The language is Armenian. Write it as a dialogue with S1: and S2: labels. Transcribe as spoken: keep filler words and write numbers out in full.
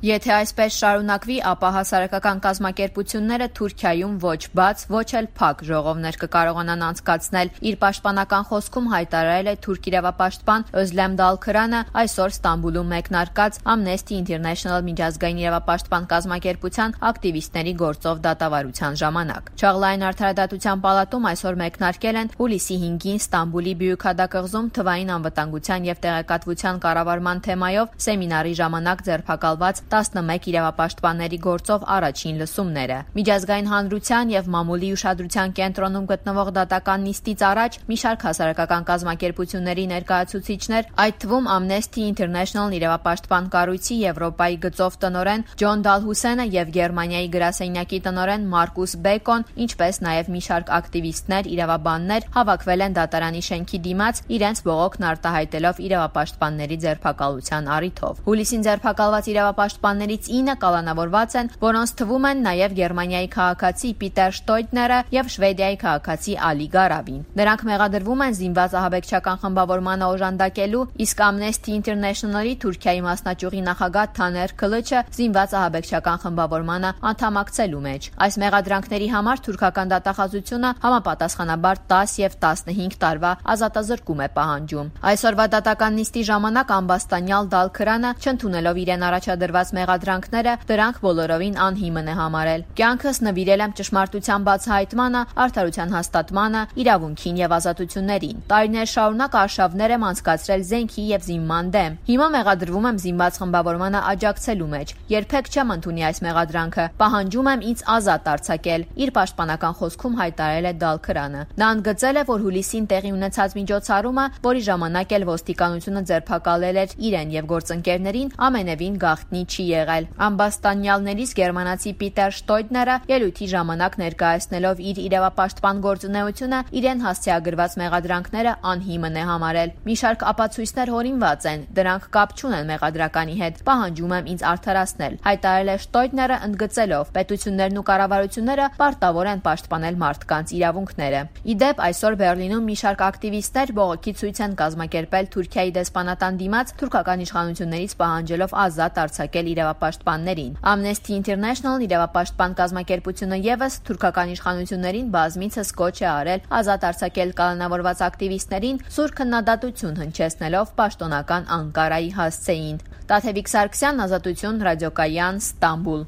S1: Եթե այսպես շարունակվի, ապա հասարակական կազմակերպությունները Թուրքիայում ոչ բաց, ոչ էլ փակ ժողովներ կկարողանան անցկացնել։ Իր պաշտպանական խոսքում հայտարարել է թուրք իրավապաշտպան Özlem Dalkırանը այսօր Ստամբուլում մեկնարկած Amnesty International միջազգային իրավապաշտպան կազմակերպության ակտիվիստների գործով դատավարության ժամանակ։ Չաղլային արդարադատության պալատում այսօր մեկնարկել են հուլիսի հինգին Ստամբուլի Բյուքադակղզում թվային անվտանգության եւ տեղեկատվության կառավարման թեմայով սեմինարի ժամանակ ձերբակալված տասնմեկ իրավապաշտպանների գործով առաջին լսումները։ Միջազգային հանրության եւ մամուլի ուշադրության կենտրոնում գտնվող դատական նիստից առաջ մի շարք հասարակական կազմակերպությունների ներկայացուցիչներ, այդ թվում Amnesty International իրավապաշտպան կառույցի Եվրոպայի գծով տնօրեն Ջոն Դալհուսենը եւ Գերմանիայի գրասենյակի տնօրեն Մարկուս Բեկոն, ինչպես նաեւ մի շարք ակտիվիստներ, իրավաբաններ հավաքվել են դատարանի շենքի դիմաց իրենց բողոքն արտահայտելով իրավապաշտպանների ձերբակալության առիթով։ Հուլիսին ձերբակալված իրավապաշտպաններից ինը կալանավորված են, որոնց թվում են նաև Գերմանիայի քաղաքացի Պիտեր Շտոյդները եւ Շվեդիայի քաղաքացի Ալի Գարավին։ Նրանք մեղադրվում են զինված ահաբեկչական խմբավորմանը օժանդակելու, իսկ Amnesty International-ի Թուրքիայի մասնաճյուղի նախագահ Թաներ Քլիչը զինված ահաբեկչական խմբավորմանը անդամակցելու մեջ։ Այս մեղադրանքների համար թուրքական դատախազությունը համապատասխանաբար դաս եւ տասնհինգ տարվա ազատազրկում է պահանջում։ Այսօրվա դատական նիստի ժամանակ ամբաստանյալ Դալքրանը, չընդունելով իրեն առաջադրված մեղադրանքները, դրանք բոլորովին անհիմն է համարել։ Կյանքս նվիրել եմ ճշմարտության բացահայտմանը, արդարության հաստատմանը, իրավունքին եւ ազատություններին։ Տարիներ շարունակ արշավներ եմ անցկացրել զենքի եւ զինման դեմ։ Հիմա մեղադրվում եմ զինված խմբավորմանը աջակցելու մեջ։ Երբեք չեմ ընդունի այս մեղադրանքը։ Պահանջում եմ ինձ ազատ արձակել, իր պաշտպանական խոսքում հայտարարել է Դալքրանը։ Նա ընդգծել է, որ հուլիսին տեղի ունեցած միջոցառումը, որի ժամանակ էլ ոստիկանությունը ձերբակալել էր իրեն եւ գործընկերներին, ամենևին գաղտնի չի եղել։ Ամբաստանյալներից գերմանացի Պիտեր Շտոյդները ելույթի ժամանակ ներկայացնելով իր իրավապաշտպան գործունեությունը, իրեն հասցեագրված մեղադրանքները անհիմն է համարել։ Մի շարք ապացույցներ հորինված են, դրանք կապ չունեն մեղադրականի հետ։ Պահանջում եմ ինձ արդարացնել, հայտարարել է Շտոյդները, ընդգծելով, պետություններն ու կառավարությունները պարտավոր են պաշտպանել մարդկանց իրավունքները։ Իդեպ այսօր Բերլինում մի շարք ակտիվիստներ բողոքի ցույց են կազմակերպել Թուրքիայի դեսպանատան դիմաց, թուրքական իշխանություններից պահանջելով ազատ արձակել իրավապաշտպաններին։ Amnesty International իրավապաշտպան կազմակերպությունը եւս թուրքական իշխանություններին բազմիցս կոչ է արել ազատ արձակել կալանավորված ակտիվիստներին, սուր քննադատություն հնչեցնելով պաշտոնական Անկարայի հասցեին։ Տաթևիկ Սարգսյան, Ազատություն, Ռադիոկայան, Ստամբուլ։